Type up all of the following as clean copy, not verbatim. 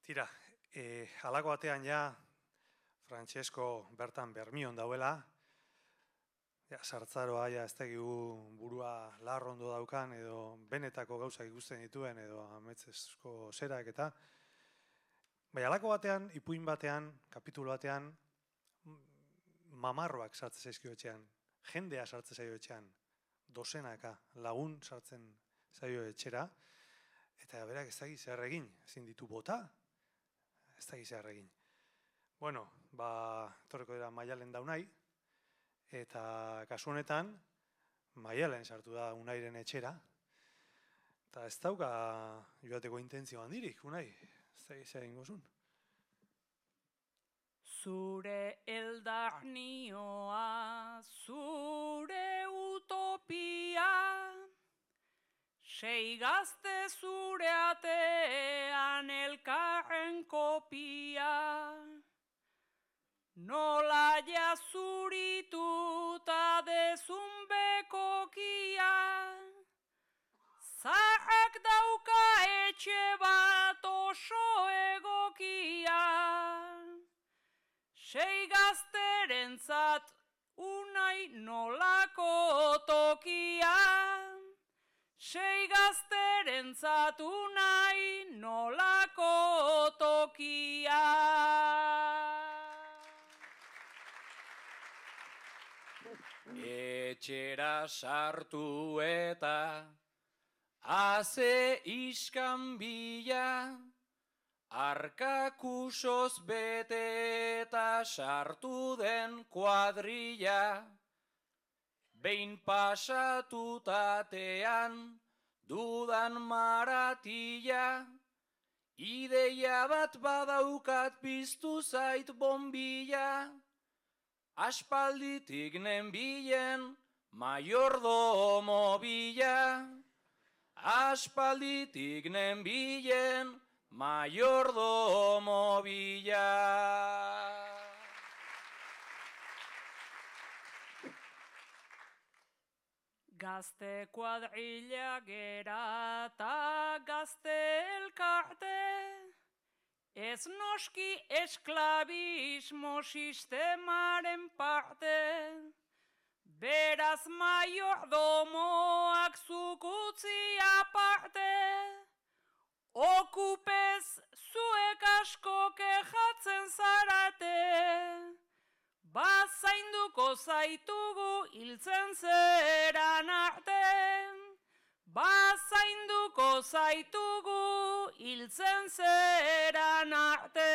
Tira, halako batean ja, Francesco bertan Bermion dauela, ja, sartzaroa ja ez dakigu burua larrondo daukan, edo benetako gauzak ikusten dituen, edo ametzesko zerak eta. Bai, halako batean, ipuin batean, kapitulu batean, mamarroak sartzen zaizkio etxean, jendea sartzen zaio etxean, dozenaka lagun sartzen zaio etxera, eta berak ez dakiz zer egin, ezin ditu bota, ez dakiz zer egin. Bueno, etorreko dira Maialen da Unai, eta kasu honetan, Maialen sartu da Unairen etxera, eta ez dauka joateko intentzio handirik, Unai, ez dakiz zer egingo zuen. Zure eldarnioa, zure utopia, sei gazte zure atean elkarren kopia, nola jazurituta dezun bekokia, zaharrak dauka etxe bat oso egokia. Sei gazterentzat Unai nolako tokia, sei gazterentzat Unai nolako tokia. Etxera sartu eta haze iskanbila, arkakusoz bete eta sartu den kuadrilla, behin pasatutatean dudan maratilla, ideia bat badaukat piztu zait bombilla, aspalditik nenbilen mayordomo bila, aspalditik nenbilen mayordomo bila. Gazte kuadrilla gera eta gazte elkarte, ez noski esklabismo sistemaren parte, beraz mayordomoak zuk utzi aparte, okupez zuek asko kejatzen zarate, bazainduko zaitugu hiltzen zeran arte, bazainduko zaitugu hiltzen zeran arte.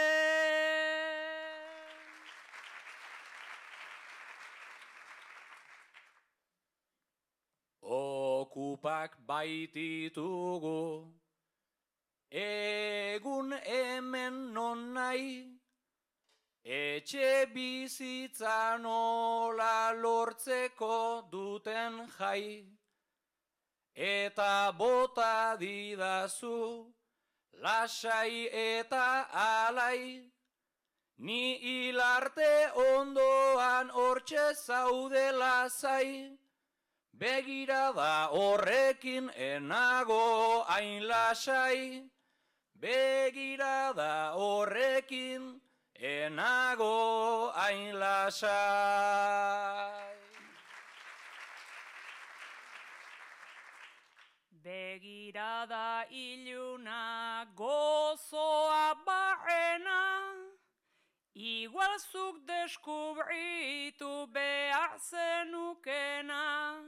Okupak baititugu, egun hemen non nahi, etxe bizitza nola lortzeko duten jai, eta bota didazu lasai eta alai, ni hilarte ondoan hortxe zaude lasai, begirada horrekin enago hain lasai, begirada horrekin enago hain lasai. Begirada iluna gozoa barrena, igual zuk deskubritu behar zenukena.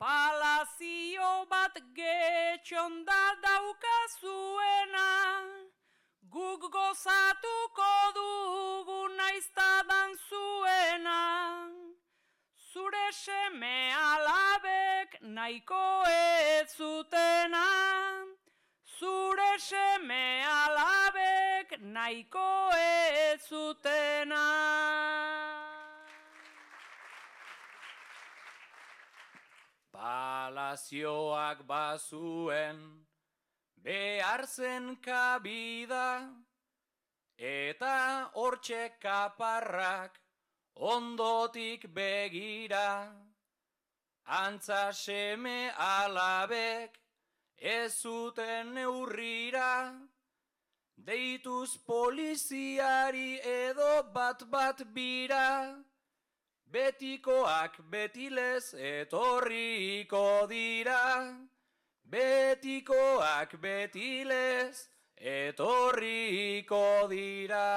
Palazio bat getxonda daukazuena, guk gozatuko dugu naiztadan zuena. Zure seme alabek nahiko ez zutena, zure seme alabek nahiko ez zutena. Palazioak bazuen behar zen kabida, eta hortxe kaparrak ondotik begira, antza seme alabek ez zuten neurrira, deituz poliziari edo bat bira, betikoak betilez etorriko dira, betikoak betilez etorriko dira.